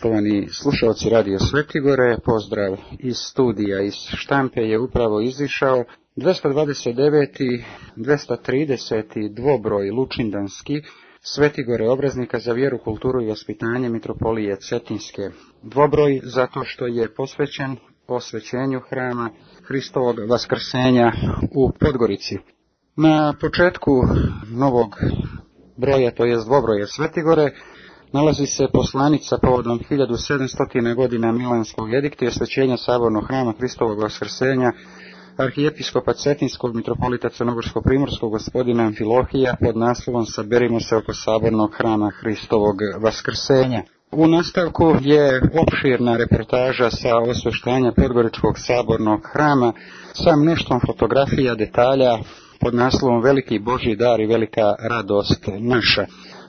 Poštovani slušalci Radio Svetigore, pozdrav iz studija, iz štampe je upravo izišao 229. 230. dvobroj lučindanski Svetigore obraznika za vjeru, kulturu i vaspitanje Mitropolije Cetinske. Dvobroj zato što je posvećen osvećenju hrama Hristovog vaskrsenja u Podgorici. Na početku novog broja, to jest dvobroja Svetigore, nalazi se poslanica povodom 1700. godina Milanskog edikta i osvećenja sabornog hrama Hristovog vaskrsenja arhijepiskopa Cetinskog mitropolita Crnogorsko-primorskog gospodina Amfilohija pod naslovom Saberimo se oko sabornog hrama Hristovog vaskrsenja. U nastavku je opširna reportaža sa osveštanja Podgoričkog sabornog hrama sa mnoštvom fotografija, detalja pod naslovom Veliki Božji dar i velika radost naša.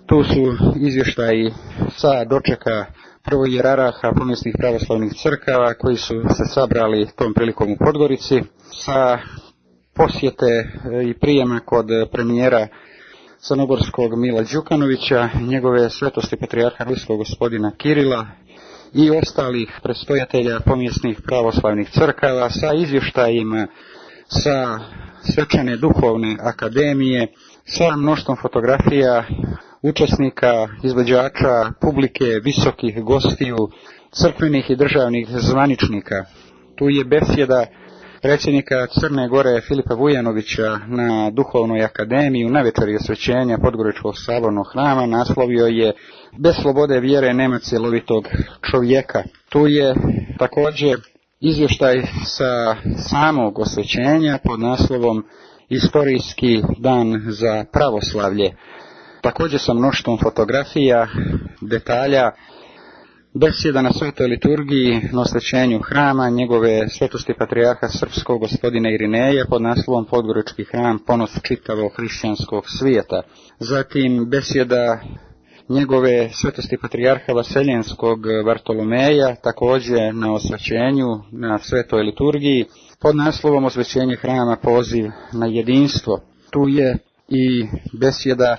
Tu su izvještaji sa dočeka prvojeraraha pomjesnih pravoslavnih crkava koji su se sabrali tom prilikom u Podgorici, sa posjete i prijema kod premijera crnogorskog Mila Đukanovića, njegove svetosti patrijarha ruskog gospodina Kirila i ostalih predstojatelja pomjesnih pravoslavnih crkava, sa izvještajima sa Svečane duhovne akademije, sa mnoštvom fotografija učesnika, izvođača, publike, visokih gostiju, crkvenih i državnih zvaničnika. Tu je besjeda predsjednika Crne Gore Filipa Vujanovića na Duhovnoj akademiji u navečeri osvećenja Podgoričkog sabornog hrama. Naslovio je Bez slobode vjere nema cjelovitog čovjeka. Tu je također izvještaj sa samog osvećenja pod naslovom Istorijski dan za pravoslavlje. Također sa mnoštvom fotografija, detalja, besjeda na svetoj liturgiji na osvećenju hrama njegove svetosti patrijarha srpskog gospodina Irineja pod naslovom Podgorički hram, ponos čitavog hrišćanskog svijeta. Zatim besjeda njegove svetosti patrijarha Vaseljenskog Vartolomeja, također na osvećenju na svetoj liturgiji pod naslovom Osvećenje hrama, poziv na jedinstvo. Tu je i besjeda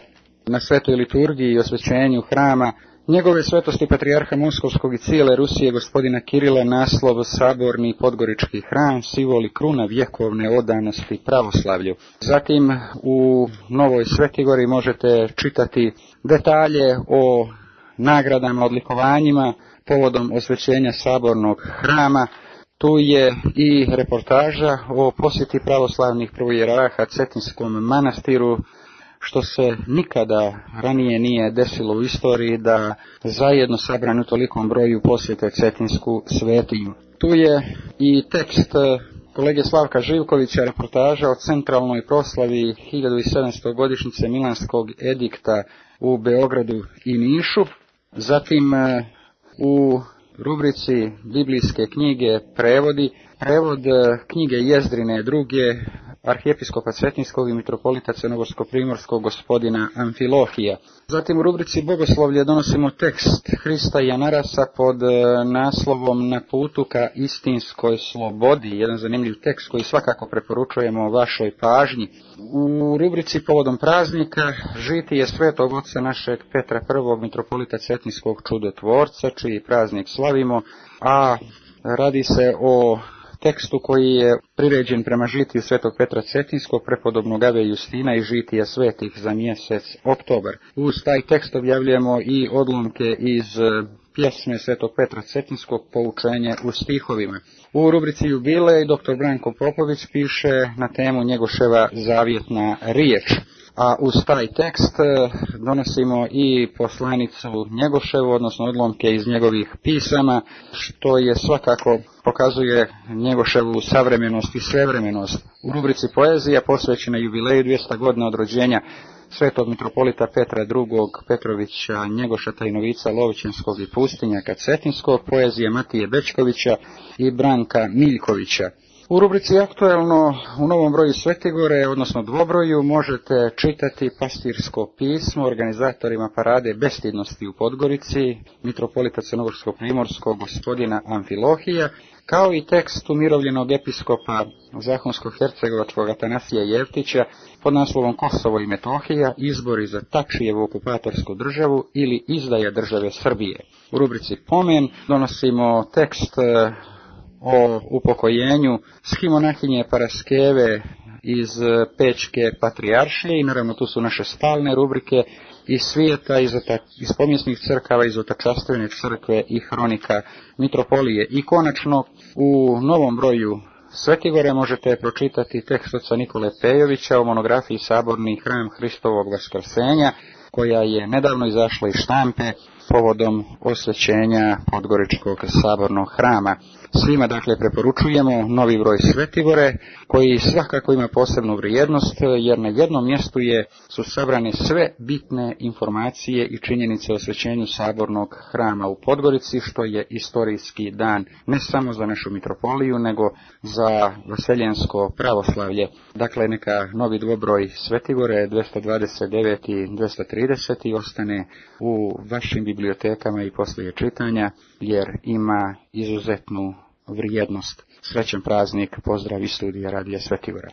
na svetoj liturgiji i osvećenju hrama njegove svetosti patrijarha Moskovskog i cijele Rusije gospodina Kirila, naslov Saborni Podgorički hram, simbol i kruna vjekovne odanosti pravoslavlju. Zatim u Novoj Svetigori možete čitati detalje o nagradama, odlikovanjima povodom osvećenja sabornog hrama. Tu je i reportaža o posjeti pravoslavnih prvojeraraha Cetinskom manastiru, što se nikada ranije nije desilo u istoriji da zajedno sabrani u tolikom broju posjete Cetinsku svetinju. Tu je i tekst kolege Slavka Živkovića, reportaža o centralnoj proslavi 1700. godišnjice Milanskog edikta u Beogradu i Nišu. Zatim u rubrici Biblijske knjige prevod knjige Jezdrine druge arhijepiskopa Cetinskog i mitropolita Crnogorsko-primorskog gospodina Amfilohija. Zatim u rubrici Bogoslovlje donosimo tekst Hrista i Anarasa pod naslovom Na putu ka istinskoj slobodi, jedan zanimljiv tekst koji svakako preporučujemo vašoj pažnji. U rubrici Povodom praznika žitije svetog oca našeg Petra I. mitropolita Cetinskog čudotvorca, čiji praznik slavimo, a radi se o tekstu koji je priređen prema žitiju svetog Petra Cetinskog, prepodobnog Ave Justina i žitija svetih za mjesec oktobar. Uz taj tekst objavljujemo i odlomke iz pjesme svetog Petra Cetinskog, Poučenje u stihovima. U rubrici Jubilej dr. Branko Popović piše na temu Njegoševa zavjetna riječ. A uz taj tekst donosimo i poslanicu Njegoševu, odnosno odlomke iz njegovih pisama, što je svakako pokazuje Njegoševu savremenost i svevremenost. U rubrici Poezija posvećena jubileju 200 godina od rođenja svetog mitropolita Petra II. Petrovića Njegoša Tajnovica Lovćenskog i pustinjaka Cetinskog, poezija Matije Bečkovića i Branka Miljkovića. U rubrici Aktuelno u novom broju Svetigore, odnosno dvobroju, možete čitati pastirsko pismo organizatorima parade bestidnosti u Podgorici, mitropolita Crnogorsko-primorskog gospodina Amfilohija, kao i tekst umirovljenog episkopa Zahumsko-hercegovačkog Atanasija Jevtića pod naslovom Kosovo i Metohija, izbori za Tačijevu okupatorsku državu ili izdaja države Srbije. U rubrici Pomen donosimo tekst o upokojenju schimonahilje Paraskeve iz Pečke patrijaršije i naravno tu su naše stalne rubrike iz svijeta, iz pomijesnih crkava, iz Otačastvene crkve i hronika mitropolije. I konačno u novom broju Svetigore možete pročitati tekst oca Nikole Pejovića o monografiji Saborni hram Hristovog vaskrsenja, koja je nedavno izašla iz štampe povodom osvećenja Podgoričkog sabornog hrama. Svima dakle preporučujemo novi broj Svetigore, koji svakako ima posebnu vrijednost, jer na jednom mjestu su sabrane sve bitne informacije i činjenice o osvećenju sabornog hrama u Podgorici, što je istorijski dan ne samo za našu mitropoliju, nego za vaseljensko pravoslavlje. Dakle, neka novi dvobroj Svetigore 229 i 230 ostane u vašim bibliotekama i poslije čitanja, jer ima izuzetnu vrijednost. Srećan praznik, pozdrav iz studija Radija Svetigora.